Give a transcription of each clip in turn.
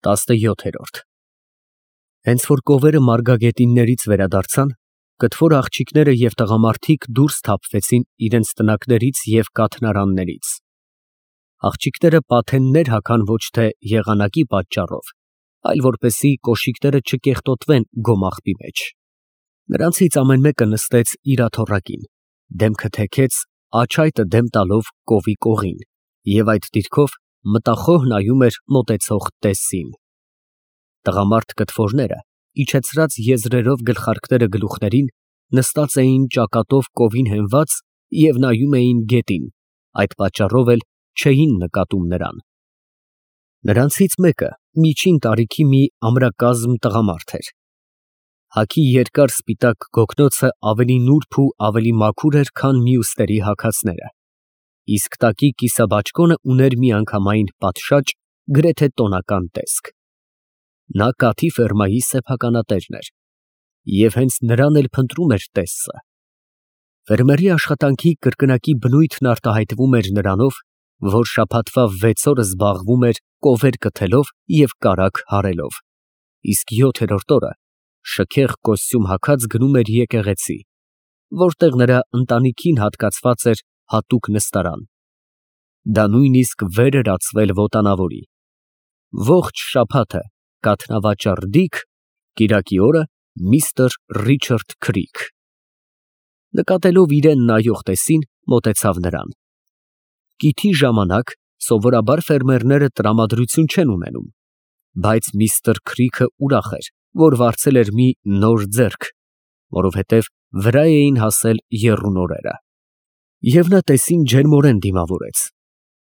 17 Հենց որ կովերը մարգագետիններից վերադարձան, կտոր աղջիկները և տղամարդիկ դուրս թափվեցին իրենց տնակներից և կաթնարաններից։ Աղջիկները պաթեններ հագան ոչ թե եղանակի պատճառով, այլ որպեսզի կոշիկները չկեղտոտվեն գոմաղբի մեջ։ Նրանցից ամեն մեկը նստեց իր աթոռակին, դեմքը թեքեց, աջ այտը դեմ տալով կովի կողին, և այդ դիրքով մտախոհ նայում էր մոտեցող տեսծին։ Տղամարդ կտորները, իջեցրած եզրերով գլխարկները գլուխներին, նստած էին ճակատով կովին հենված և նայում էին գետին, այդ պատճառով էլ չէին նկատում նրան։ Նրանցից մեկը միջին տարիքի մի ամրակազմ տղամարդ էր։ Հագի երկար սպիտակ գոգնոցը ավելի նուրբ ու ավելի մաքուր էր, քան մյուսների հագածները, իսկ տակի կիսաբաճկոնը ուներ միանգամայն պատշաճ, գրեթե տոնական տեսք։ Նա կաթի ֆերմայի սեփականատերն էր, և հենց նրան էլ փնտրում էր տեսծը։ Ֆերմերի աշխատանքի կրկնակի բնույթն արտահայտվում էր նրանով, որ շաբաթվա 6 օրը զբաղվում էր կովեր կթելով և կարագ հարելով, իսկ 7-րդ օրը շքեղ կոստյում հագած գնում էր եկեղեցի, որտեղ նրա ընտանիքին հատկացված էր հատուկ նստարան։ Դա նույնիսկ վեր էր ածվել ոտանավորի։ Ողջ շաբաթը կաթնավաճառ Դիք, կիրակի օրը միստր Ռիչարդ Քրիք։ Նկատելով իրան նայող տեսին, մոտեցավ նրան։ Կիթի ժամանակ սովորաբար ֆերմերները տրամադրություն չեն ունենում, բայց միստր Քրիքը ուրախ էր, որ վարձել էր մի նոր ձեռք, որովհետև վրա էին հասել եռուն օրերը։ Եվ նա տեսին ջերմորեն դիմավորեց։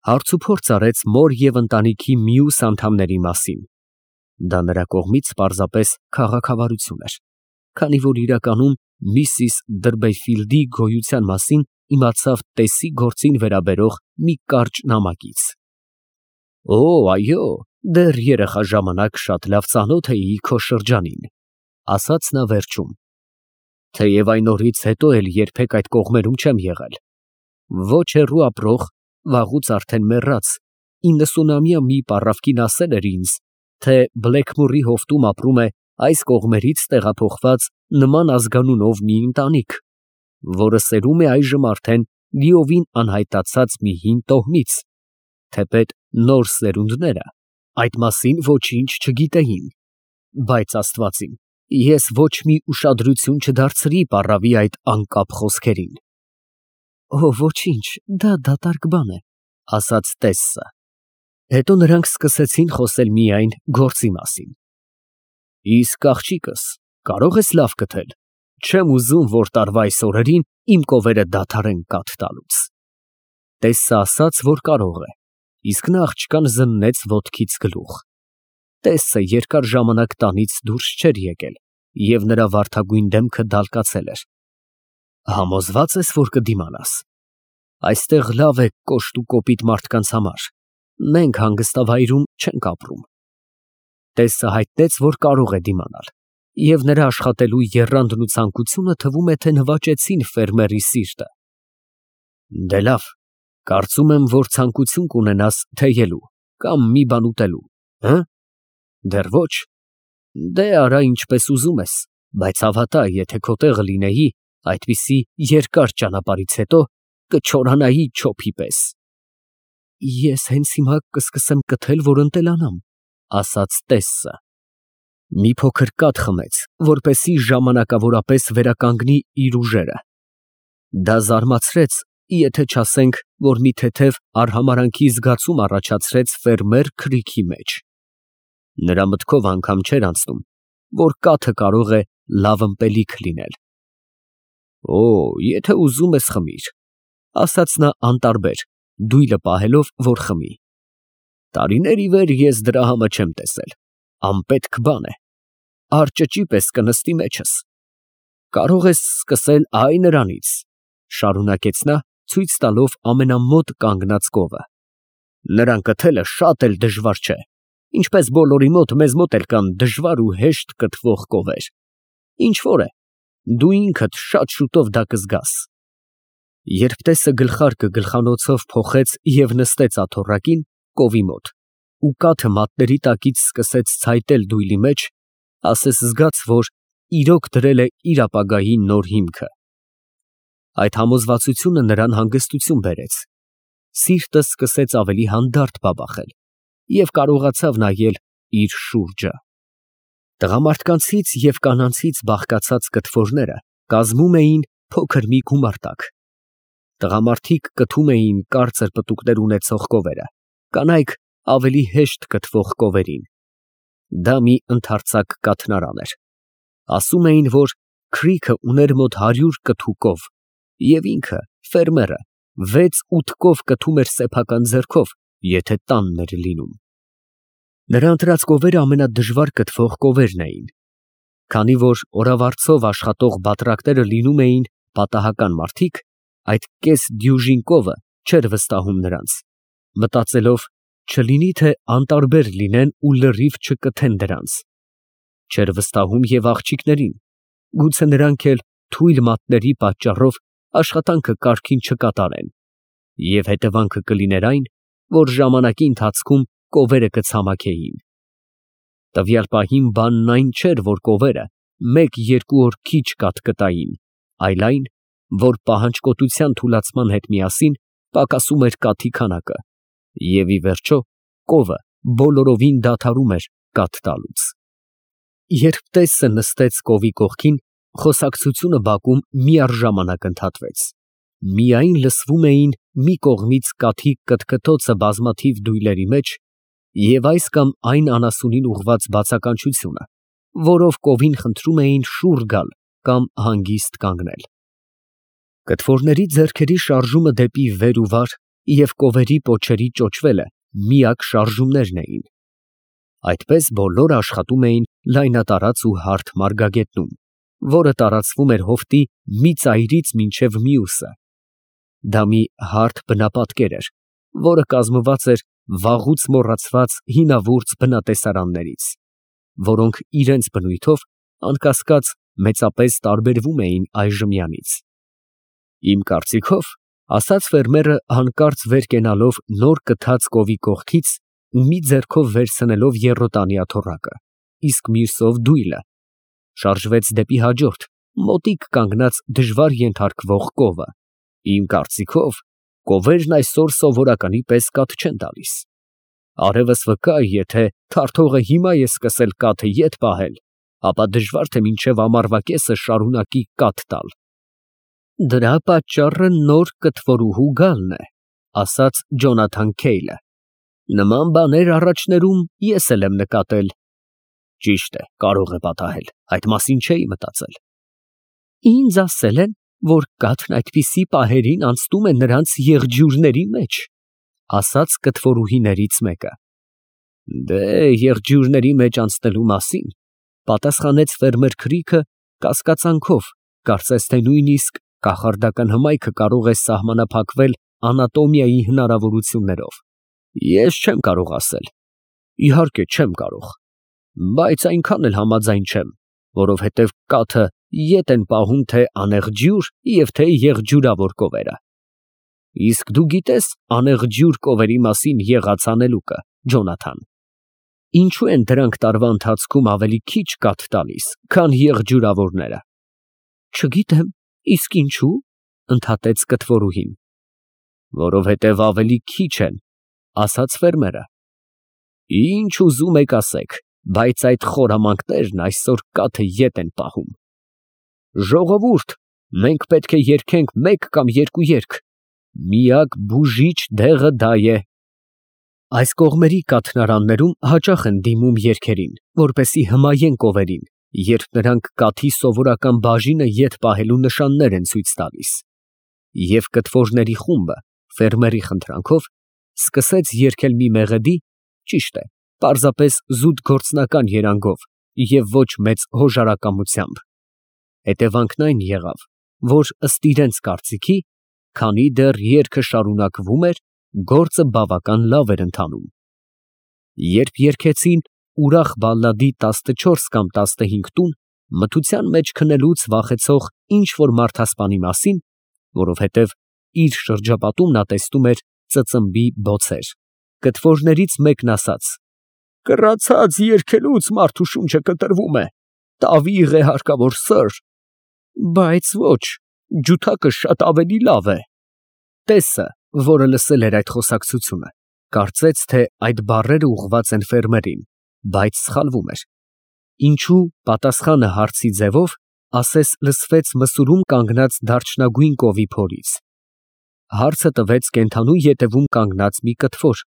Հարցուփորձ արեց մոր և ընտանիքի մյուս անդամների մասին։ Դա նրա կողմից պարզապես քաղաքավարություն էր, քանի որ իրականում միսիս Դրբեֆիլդի գոյության մասին իմացավ տեսի գործին վերաբերող մի կարճ նամակից։ Օ, այո, դեռ երեխա ժամանակ շատ լավ ծանոթ էի քո շրջանին, ասաց նա վերջում, թեև այն օրից հետո էլ երբեք այդ կողմերում չեմ եղել։ Ոչ հեռու ապրող, վաղուց արդեն մեռած 90-ամյա մի պառավկին ասել էր ինձ, թե Բլեքմորի հովտում ապրում է այս կողմերից տեղափոխված նման ազգանունով մի ընտանիք, որը սերում է այժմ արդեն լիովին անհայտացած մի հին տոհմից, թեպետ նոր սերունդները այդ մասին ոչինչ չգիտեին, բայց Աստվածին, ես ոչ մի ուշադրություն չդարձրի պառավի այդ անկապ խոսքերին։ Օ, ոչինչ, դա դատարկ բան է, ասաց տեսսը։ Հետո նրանք սկսեցին խոսել միայն գործի մասին։ Իսկ աղջիկս, կարող ես լավ կթել, չեմ ուզում, որ տարվա այս օրերին իմ կովերը դադարեն կաթ տալուց։ Տեսսը ասաց, որ կարող է, իսկ նա աղջկան զննեց ոտքից գլուխ։ Տեսսը երկար ժամանակ տանից դուրս չէր եկել, և նրա վարդագույն դեմքը դալկացել էր։ Համոզվա՞ծ ես, որ կդիմանաս։ Այստեղ լավ է կոշտ ու կոպիտ մարդկանց համար, մենք հանգստավայրում չենք ապրում։ Տեսսը հայտնեց, որ կարող է դիմանալ, և նրա աշխատելու եռանդն ու ցանկությունը թվում է, թե նվաճեցին ֆերմերի սիրտը։ Դե լավ, կարծում եմ, որ ցանկություն կունենաս թեյելու կամ մի բան ուտելու, հը՞։ Դեռ ոչ։ Դե արա ինչպես ուզում ես, բայց հավատա, եթե քո տեղը լինեի, այդպիսի երկար ճանապարհից հետո կչորանայի չոփի պես։ Ես հենց հիմա կսկսեմ կթել, որ ընտելանամ, ասաց տեսսը։ Մի փոքր կաթ խմեց, որպեսզի ժամանակավորապես վերականգնի իր ուժերը։ Դա զարմացրեց, եթե չասենք, որ մի թեթև արհամարհանքի զգացում առաջացրեց ֆերմեր Քրիքի մեջ։ Նրա մտքով անգամ չէր անցնում, որ կաթը կարող է լավ ըմպելիք լինել։ Օ, եթե ուզում ես խմիր, ասաց նա անտարբեր, դույլը պահելով, որ խմի։ Տարիներ ի վեր ես դրա համը չեմ տեսել, անպետք բան է, արճճի պես կնստի մեջս։ Կարող ես սկսել այ նրանից, շարունակեց նա, ցույց տալով ամենամոտ կանգնած կովը։ Նրան կթելը շատ էլ դժվար չէ, ինչպես բոլորի մոտ, մեզ մոտ էլ կան դժվար ու հեշտ կթվող կովեր։ Ինչ որ է, դու ինքդ շատ շուտով դա կզգաս։ Երբ տեսը գլխարկը գլխանոցով փոխեց և նստեց աթոռակին, կովի մոտ, ու կաթը մատների տակից սկսեց ցայտել դույլի մեջ, ասես զգաց, որ իրոք դրել է իր ապագայի նոր հիմքը։ Այդ համոզվածությունը նրան հանգստություն բերեց։ Սիրտը սկսեց ավելի հանդարտ բաբախել և կարողացավ նայել իր շուրջը։ Տղամարդկանցից և կանանցից բաղկացած կտորները կազմում էին փոքր մի գումարտակ։ Տղամարդիկ կթում էին կարծր պտուկներ ունեցող կովերը, կանայք ավելի հեշտ կթվող կովերին։ Դա մի ընդարձակ կաթնարան էր։ Ասում էին, որ Քրիքը ուներ մոտ 100 կթու կով, և ինքը, ֆերմերը, 6-8 կով կթում էր սեփական ձեռքով, եթե տանն էր լինում։ Նրա ընտրած կովերը ամենադժվար կթվող կովերն էին։ Քանի որ օրավարձով աշխատող բատրակները լինում էին պատահական մարդիկ, այդ կես դյուժին կովը չէր վստահում նրանց, մտածելով, չլինի թե անտարբեր լինեն ու լրիվ չկթեն դրանց։ Չէր վստահում և աղջիկներին, գուցե նրանք էլ թույլ մատների պատճառով աշխատանքը կարգին չկատարեն, և հետևանքը կլիներ այն, որ ժամանակի ընթացքում կովերը կցամաքեին։ Տվյալ պահին բանն այն չէր, որ կովերը 1-2 օր քիչ կաթ կտային, այլ այն, որ պահանջկոտության թուլացման հետ միասին պակասում էր կաթի քանակը, և ի վերջո կովը բոլորովին դադարում էր կաթ տալուց։ Երբ տեսը նստեց կովի կողքին, խոսակցությունը բակում միառժամանակ ընդհատվեց։ Միայն լսվում էին մի կողմից կաթի կթկթոցը բազմաթիվ դույլերի մեջ և այս կամ այն անասունին ուղղված բացականչությունը, որով կովին խնդրում էին շուռ գալ կամ հանգիստ կանգնել։ Կտորների ձեռքերի շարժումը դեպի վեր ու վար և կովերի պոչերի ճոճվելը միակ շարժումներն էին։ Այդպես բոլորը աշխատում էին լայնատարած ու հարթ մարգագետնում, որը տարածվում էր հովտի մի ծայրից մինչև մյուսը։ Դա մի հարթ բնապատկեր էր, որը կազմված էր վաղուց մոռացված հինավուրց բնատեսարաններից, որոնք իրենց բնույթով, անկասկած, մեծապես տարբերվում էին այժմյանից։ Իմ կարծիքով, ասաց ֆերմերը հանկարծ վեր կենալով նոր կթած կովի կողքից ու մի ձեռքով վերցնելով եռոտանի աթոռակը, իսկ մյուսով դույլը, շարժվեց դեպի հաջորդ, մոտիկ կանգնած դժվար ենթարկվող կովը։ Իմ կարծիքով, կովերն այսօր սովորականի պես կաթ չեն տալիս։ Արևս վկա, եթե թարթողը հիմա է սկսել կաթը ետ պահել, ապա դժվար թե մինչև ամառվա կեսը շարունակի կաթ տալ։ Դրա պատճառը նոր կթվորուհու գալն է, ասաց Ջոնաթան Քեյլը։ Նման բաներ առաջներում ես էլ եմ նկատել։ Ճիշտ է, կարող է պատահել, այդ մասին չէի մտածել։ Ինձ ասել են, որ կաթն այդպիսի պահերին անցնում է նրանց եղջյուրների մեջ, ասաց կթվորուհիներից մեկը։ Դե, եղջյուրների մեջ անցնելու մասին, պատասխանեց ֆերմեր Քրիքը կասկածանքով, կարծես թե նույնիսկ կախարդական հմայքը կարող է սահմանափակվել անատոմիայի հնարավորություններով։ Ես չեմ կարող ասել։ Իհարկե չեմ կարող, բայց այնքան էլ համաձայն չեմ, որովհետև կաթը ետ են պահում թե անեղջյուր և թե եղջյուրավոր կովերը։ Իսկ դու գիտես անեղջյուր կովերի մասին եղած անելուկը, Ջոնաթան։ Ինչու են դրանք տարվա ընթացքում ավելի քիչ կաթ տալիս, քան եղջյուրավորները։ Չգիտեմ, իսկ ինչու՞, ընդհատեց կթվորուհին։ Որովհետև ավելի քիչ են, ասաց ֆերմերը։ Ինչ ուզում եք ասեք, բայց այդ խորամանկներն այսօր կաթը ետ են պահում։ Ժողովուրդ, մենք պետք է երգենք մեկ կամ երկու երգ։ Միակ բուժիչ դեղը դա է։ Այս կողմերի կաթնարաններում հաճախ են դիմում երգերին, որպեսզի հմայեն կովերին, երբ նրանք կաթի սովորական բաժինը ետ պահելու նշաններ են ցույց տալիս։ Եվ կթվորների խումբը, ֆերմերի խնդրանքով, սկսեց երգել մի մեղեդի, ճիշտ է, պարզապես զուտ գործնական երանգով և ոչ մեծ հոժարակամությամբ։ Հետևանքն այն եղավ, որ ըստ իրենց կարծիքի, քանի դեռ երգը շարունակվում էր, գործը բավական լավ էր ընթանում։ Երբ երգեցին ուրախ բալլադի 14 կամ 15 տուն, մթության մեջ քնելուց վախեցող ինչ֊որ մարդասպանի մասին, որովհետև իր շրջապատում նա տեսնում էր ծծմբի բոցեր, Կտվորներից մեկն ասաց. «Կռացած երգելուց մարդու շունչը կտրվում է, տավիղ է հարկավոր սըր, բայց ոչ, ջութակը շատ ավելի լավ է»։ Տեսը, որը լսել էր այդ խոսակցությունը, կարծեց, թե այդ բառերը ուղղված են ֆերմերին, բայց սխալվում էր։ Ինչու պատասխանը հարցի ձևով ասես լսվեց մսուրում կանգնած դարչնագույն կովի փորից։ Հարցը տվեց կենդանու ետևում կանգնած մի կտվոր,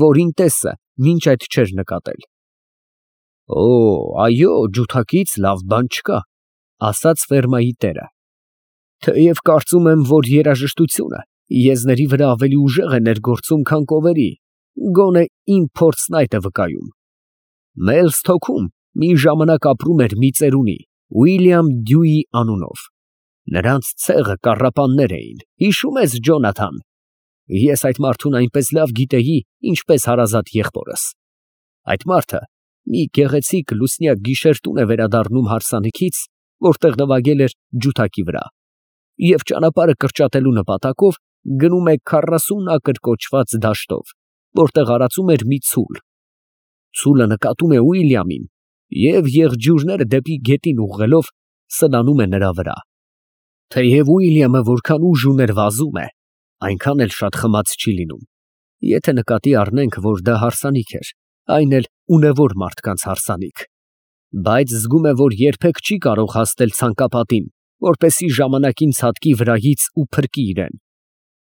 որին տեսը մինչ այդ չէր նկատել։ «Օ, այո, ջութակից լավ բան չկա», ասաց ֆերմայի տերը։ «Թեև կարծում եմ, որ երաժշտությունը եզների վրա ավելի ուժեղ է ներգործում, քան կովերի, գոնե իմ փորձն այդ է վկայում։ Մելսթոքում մի ժամանակ ապրում էր մի ծերունի, Ուիլյամ Դյուի անունով։ Նրանց ցեղը կառապաններ էին, հիշում ես, Ջոնաթան։ Ես այդ մարդուն այնպես լավ գիտեի, ինչպես հարազատ եղբորս։ Այդ մարդը մի գեղեցիկ լուսնյակ գիշեր տուն է վերադառնում հարսանիքից, որտեղ նվագել էր ջութակի վրա, և ճանապարհը կրճատելու նպատակով գնում է 40 ակր կոչված դաշտով, որտեղ արածում էր մի ցուլ։ Ցուլը նկատում է Ուիլյամին և եղջյուրները դեպի գետին ուղղելով սլանում է նրա վրա։ Թեև Ուիլյամը որքան ուժ ուներ վազում է, այնքան էլ շատ խմած չի լինում, եթե նկատի առնենք, որ դա հարսանիք էր, այն էլ ունևոր մարդկանց հարսանիք, բայց զգում է, որ երբեք չի կարող հասնել ցանկապատին, որպեսզի ժամանակին ցատկի վրայից ու փրկի իրեն։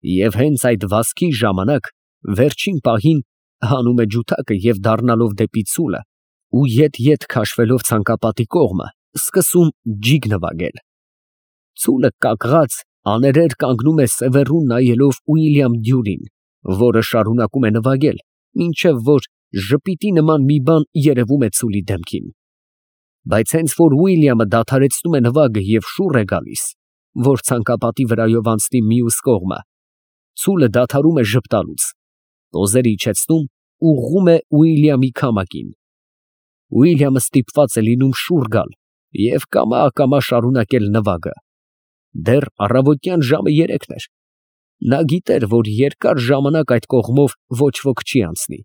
Եվ հենց այդ վազքի ժամանակ վերջին պահին հանում է ջութակը և դառնալով դեպի ցուլը ու ետ քաշվելով ցանկապատի կողմը, սկսում ջիգ նվագել։ Ցուլը կակղած աներեր կանգնում է սևեռուն նայելով Ուիլյամ Դյուրին, որը շարունակում է նվագել, մինչև որ ժպիտի նման մի բան երևում է ցուլի դեմքին։ Բայց հենց որ Ուիլյամը դադարեցնում է նվագը և շուռ է գալիս, որ ցանկապատի վրայով անցնի մյուս կողմը, ցուլը դադարում է ժպտալուց, տոզերը իջեցնում, ուղղում է Ուիլյամի քամակին։ Ուիլյամը ստիպված է լինում շուռ գալ և կամա շարունակել նվագը։ Դեռ առավոտյան ժամը 3 էր։ Նա գիտեր, որ երկար ժամանակ այդ կողմով ոչ ոք չի անցնի,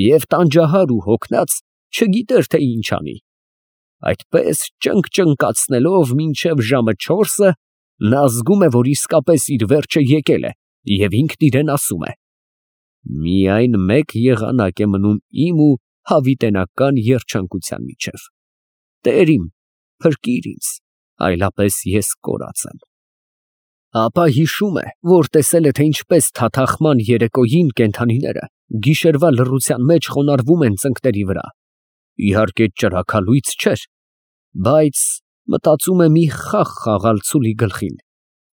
և տանջահար ու հոգնած չգիտեր, թե ինչ անի։ Այդպես ճնգ֊ճնգացնելով մինչև ժամը 4-ը, նա զգում է, որ իսկապես իր վերջը եկել է, և ինքն իրեն ասում է. «Միայն մեկ եղանակ է մնում իմ ու հավիտենական երջանկության միջև. Տեր իմ, փրկիր ինձ, այլապես ես կորած եմ»։ Ապա հիշում է, որ տեսել է, թե ինչպես թաթախման երեկոյին կենդանիները գիշերվա լռության մեջ խոնարհվում են ծնկների վրա։ Իհարկե ճրագալույց չէր, բայց մտածում է մի խաղ խաղալ ցուլի գլխին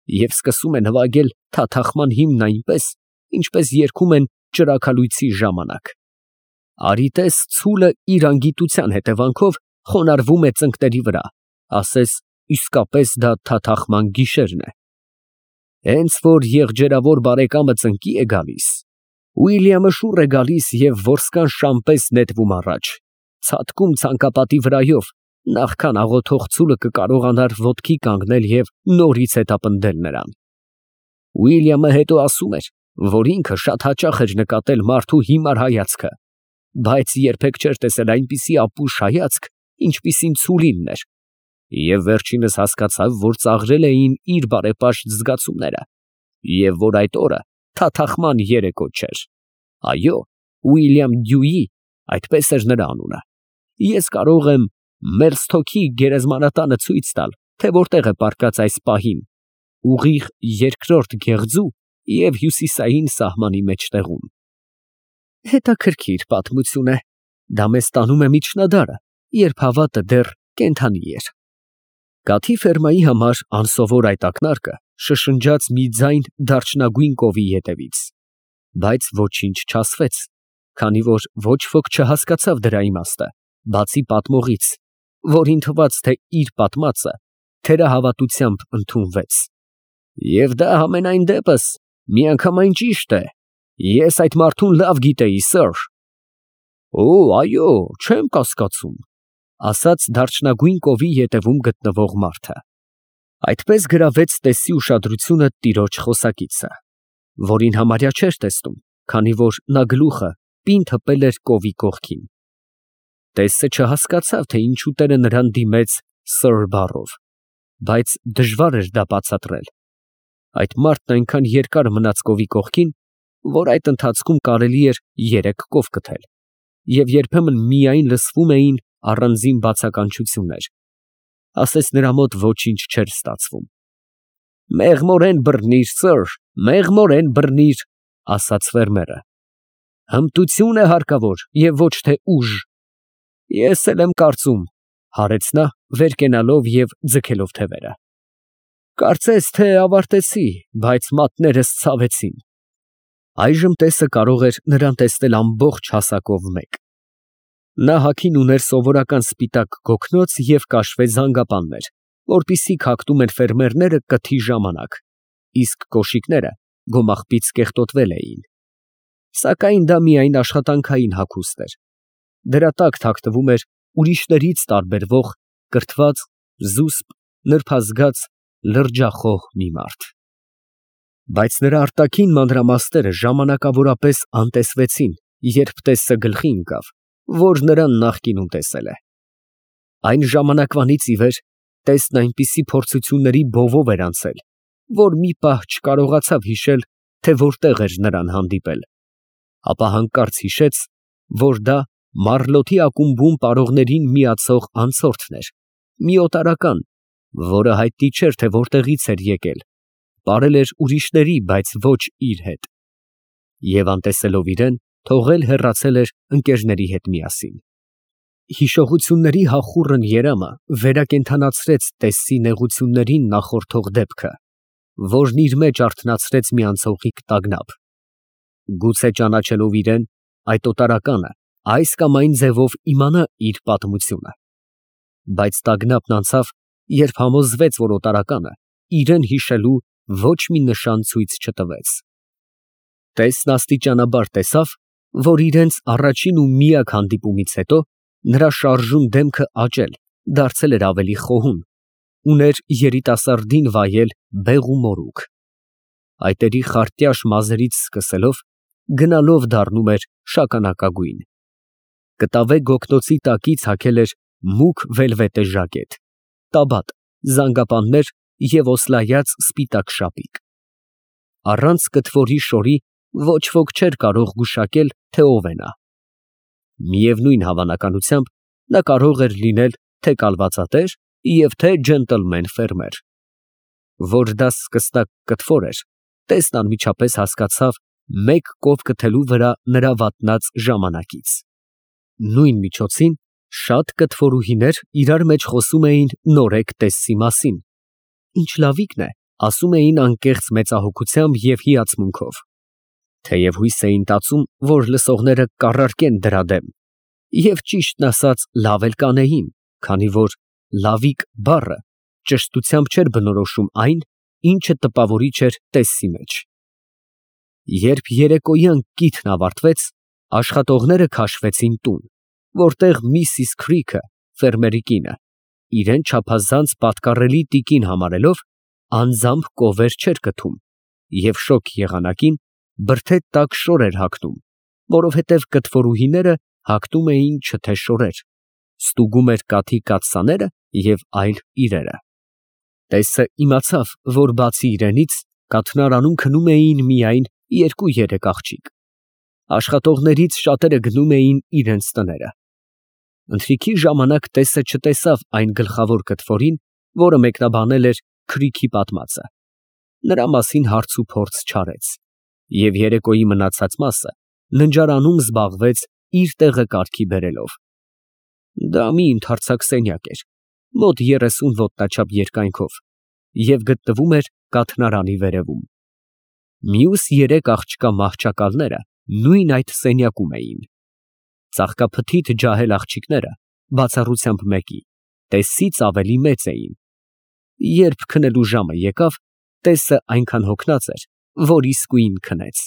և սկսում է նվագել թաթախման հիմն այնպես, ինչպես երգում են ճրագալույցի ժամանակ։ Արի տես ցուլը իր անգիտության հետևանքով խոնարհվում է ծնկների վրա, ասես իսկապես դա թաթախման գիշերն է։ Հենց որ եղջերավոր բարեկամը ծնկի է գալիս, Ուիլյամը շուռ է գալիս և որսկան շան պես նետվում առաջ, ցատկում ցանկապատի վրայով, նախքան աղոթող ցուլը կկարողանար ոտքի կանգնել և նորից հետապնդել նրան։ Ուիլյամը հետո ասում էր, որ ինքը շատ հաճախ էր նկատել մարդու հիմար հայացքը, բայց երբեք չէր տեսել այնպիսի ապուշ հայացք, ինչպիսին ցուլինն էր, և վերջինս հասկացավ, որ ծաղրել էին իր բարեպաշտ զգացումները, և որ այդ օրը թաթախման երեկո չէր։ Այո, Ուիլյամ Դյուի, այդպես էր նրա անունը։ Ես կարող եմ Մելսթոքի գերեզմանատանը ցույց տալ, թե որտեղ է պառկած այս պահին, ուղիղ երկրորդ գեղձու և հյուսիսային սահմանի մեջտեղում։ Հետաքրքիր պատմություն է, դա մեզ տանում է միջնադարը, երբ հավատը դեռ կենդանի էր։ Կաթի ֆերմայի համար անսովոր այդ ակնարկը շշնջաց մի ձայն դարչնագույն կովի ետևից, բայց ոչինչ չասվեց, քանի որ ոչ ոք չհասկացավ դրա իմաստը, բացի պատմողից, որին թվաց, թե իր պատմածը թերահավատությամբ ընդունվեց։ Եվ դա համենայն դեպս միանգամայն ճիշտ է, ես այդ մարդուն լավ գիտեի, սըր։ Օ, այո, չեմ կասկածում, ասաց դարչնագույն կովի ետևում գտնվող մարդը։ Այդպես գրավեց տեսի ուշադրությունը տիրոջ խոսակիցը, որին համարյա չէր տեսնում, քանի որ նա գլուխը պինդ հպել էր կովի կողքին։ Տեսը չհասկացավ, թե ինչու տերը նրան դիմեց Սըր բառով, բայց դժվար էր դա բացատրել։ Այդ մարդն այնքան երկար մնաց կովի կողքին, որ այդ ընթացքում կարելի էր 3 կով կթել, և երբեմն միայն լսվում էին առանձին բացականչություններ, ասես նրա մոտ ոչինչ չէր ստացվում։ «Մեղմորեն բռնիր, Սըր, մեղմորեն բռնիր», ասաց ֆերմերը։ «Հմտություն է հարկավոր և ոչ թե ուժ»։ «Ես էլ եմ կարծում», հարեց նա, վեր կենալով և ձգելով թևերը։ «Կարծես թե ավարտեցի, բայց մատներս ցավեցին»։ Այժմ տեսը կարող էր նրան տեսնել ամբողջ հասակով մեկ։ Նա հագին ուներ սովորական սպիտակ գոգնոց և կաշվե զանգապաններ, որպիսիք հագնում են ֆերմերները կթի ժամանակ, իսկ կոշիկները գոմաղբից կեղտոտվել էին։ Սակայն դա միայն աշխատանքային հագուստ էր։ Դրա տակ թաքնվում էր ուրիշներից տարբերվող կրթված, զուսպ, նրբազգաց, լրջախոհ մի մարդ։ Բայց նրա արտաքին մանրամասները ժամանակավորապես անտեսվեցին, երբ տեսը գլխի ընկավ, որ նրան նախկինում տեսել է։ Այն ժամանակվանից ի վեր տեսն այնպիսի փորձությունների բովով էր անցել, որ մի պահ չկարողացավ հիշել, թե որտեղ էր նրան հանդիպել, ապա հանկարծ հիշեց, որ դա Մարլոթի ակումբում պարողներին միացող անցորդն էր, մի օտարական, որը հայտնի չէր, թե որտեղից էր եկել, պարել էր ուրիշների, բայց ոչ իր հետ, և անտեսելով իրան, թողել հեռացել էր ընկերների հետ միասին։ Հիշողությունների հախուռն երամը վերակենդանացրեց տեսի նեղություններին նախորդող դեպքը, որն իր մեջ արթնացրեց մի անցողիկ տագնապ։ Գուցե ճանաչելով իրան, այդ օտարականը այս կամ այն ձևով իմանա իր պատմությունը։ Բայց տագնապն անցավ, երբ համոզվեց, որ օտարականը իրան հիշելու ոչ մի նշան ցույց չտվեց։ Տեսն աստիճանաբար տեսավ, որ իրենց առաջին ու միակ հանդիպումից հետո նրա շարժուն դեմքը աճել, դարձել էր ավելի խոհուն, ուներ երիտասարդին վայել բեղ ու մորուք։ Այտերի խարտյաշ մազերից սկսելով, գնալով դառնում էր շագանակագույն։ Կտավե գոգնոցի տակից հագել էր մուգ վելվետե ժակետ, տաբատ, զանգապաններ և օսլայած սպիտակ շապիկ։ Առանց կթվորի շորի ոչ ոք չէր կարող գուշակել, թե ով է նա։ Միևնույն հավանականությամբ նա կարող էր լինել թե կալվածատեր և թե ջենտլմեն ֆերմեր։ Որ դա սկսնակ կթվոր էր, տեսն անմիջապես հասկացավ մեկ կով կթելու վրա նրա վատնած ժամանակից։ Նույն միջոցին շատ կթվորուհիներ իրար մեջ խոսում էին նորեկ տեսի մասին։ Ինչ լավիկն է, ասում էին անկեղծ մեծահոգությամբ և հիացմունքով։ Թեև հույս էին տածում, որ լսողները կառարկեն դրա դեմ, և ճիշտն ասած լավ էլ կանեին, քանի որ լավիկ բառը ճշտությամբ չէր բնորոշում այն, ինչը տպավորիչ էր տեսի մեջ։ Երբ երեկոյան կիթն ավարտվեց, աշխատողները քաշվեցին տուն, որտեղ Միսիս Քրիքը, ֆերմերի կինը, իրան չափազանց պատկառելի տիկին համարելով, անձամբ կովեր չէր կթում և շոգ եղանակին բրդե տակ շոր էր հագնում, որովհետև կթվորուհիները հագնում էին չթե շորեր, ստուգում էր կաթի կաթսաները և այլ իրերը։ Տեսը իմացավ, որ բացի իրենից, կաթնարանում քնում էին միայն 2-3 աղջիկ։ Աշխատողներից շատերը գնում էին իրենց տները։ Ընթրիքի ժամանակ տեսը չտեսավ այն գլխավոր կթվորին, որը մեկնաբանել էր Քրիքի պատմածը։ Նրա մասին հարց ու փորձ չարեց, և երեկոյի մնացած մասը ննջարանում զբաղվեց իր տեղը կարգի բերելով։ Դա մի ընդարձակ սենյակ էր, մոտ 30 ոտնաչափ երկայնքով, և գտնվում էր կաթնարանի վերևում։ Մյուս 3 աղջկա մահճակալները նույն այդ սենյակում էին։ Ծաղկափթիթ ջահել աղջիկները, բացառությամբ մեկի, տեսից ավելի մեծ էին։ Երբ քնելու ժամը եկավ, տեսը այնքան հոգնած էր, որ իսկույն քնեց։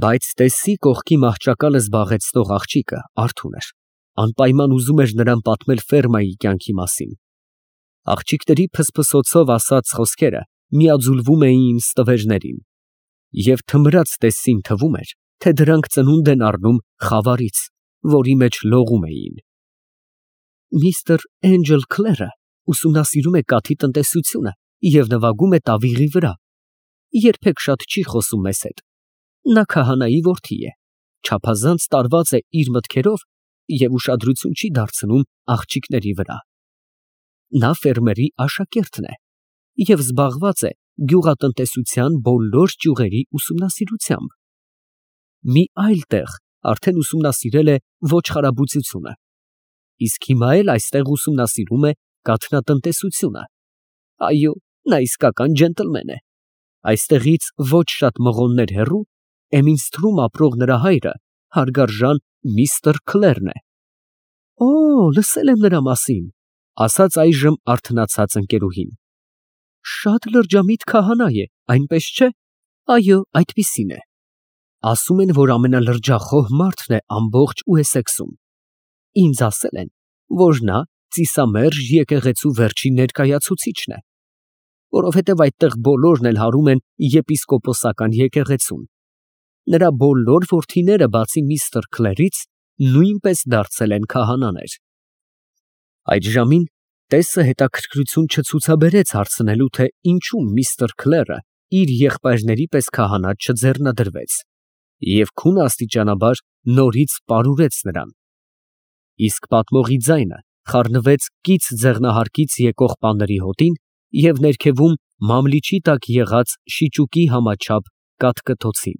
Բայց տեսի կողքի մահճակալը զբաղեցնող աղջիկը արթուն էր, անպայման ուզում էր նրան պատմել ֆերմայի կյանքի մասին։ Աղջիկների փսփսոցով ասած խոսքերը միաձուլվում էին ստվերներին։ Եվ թմրած տեսին թվում էր, թե դրանք ծնունդ են առնում խավարից, որի մեջ լողում էին։ Միստր Էնջել Քլերը ուսումնասիրում է կաթի տնտեսությունը և նվագում է տավիղի վրա, երբեք շատ չի խոսում մեզ հետ։ Նա քահանայի որդի է, չափազանց տարված է իր մտքերով և ուշադրություն չի դարձնում աղջիկների վրա։ Նա ֆերմերի աշակերտն է և զբաղված է գյուղատնտեսության բոլոր ճյուղերի ուսումնասիրությամբ։ Մի այլ տեղ արդեն ուսումնասիրել է ոչխարաբուծությունը, իսկ հիմա էլ այստեղ ուսումնասիրում է կաթնատնտեսությունը։ Այո, նա իսկական ջենտլմեն է։ Այստեղից ոչ շատ մղոններ հեռու Էմինսթրում ապրող նրա հայրը հարգարժան միստր Քլերն է։ Օ, լսել եմ նրա մասին, ասաց այժմ արթնացած ընկերուհին։ Շատ լրջամիտ քահանա է, այնպես չէ։ Այո, այդպիսին է։ Ասում են, որ ամենալրջախոհ մարդն է ամբողջ Ուեսեքսում։ Ինձ ասել են, որ նա ծիսամերժ եկեղեցու վերջին ներկայացուցիչն է, որովհետև այդտեղ բոլորն էլ հարում են եպիսկոպոսական եկեղեցուն։ Նրա բոլոր որդիները, բացի միստր Քլերից, նույնպես դարձել են քահանաներ։ Այդ ժամին տեսը հետաքրքրություն չցուցաբերեց հարցնելու, թե ինչու միստր Քլերը իր եղբայրների պես քահանա չձեռնադրվեց, և քունը աստիճանաբար նորից պարուրեց նրան։ Իսկ պատմողի ձայնը խառնվեց կից ձեղնահարկից եկող պաների հոտին և ներքևում մամլիչի տակ եղած շիճուկի համաչափ կաթկթոցին։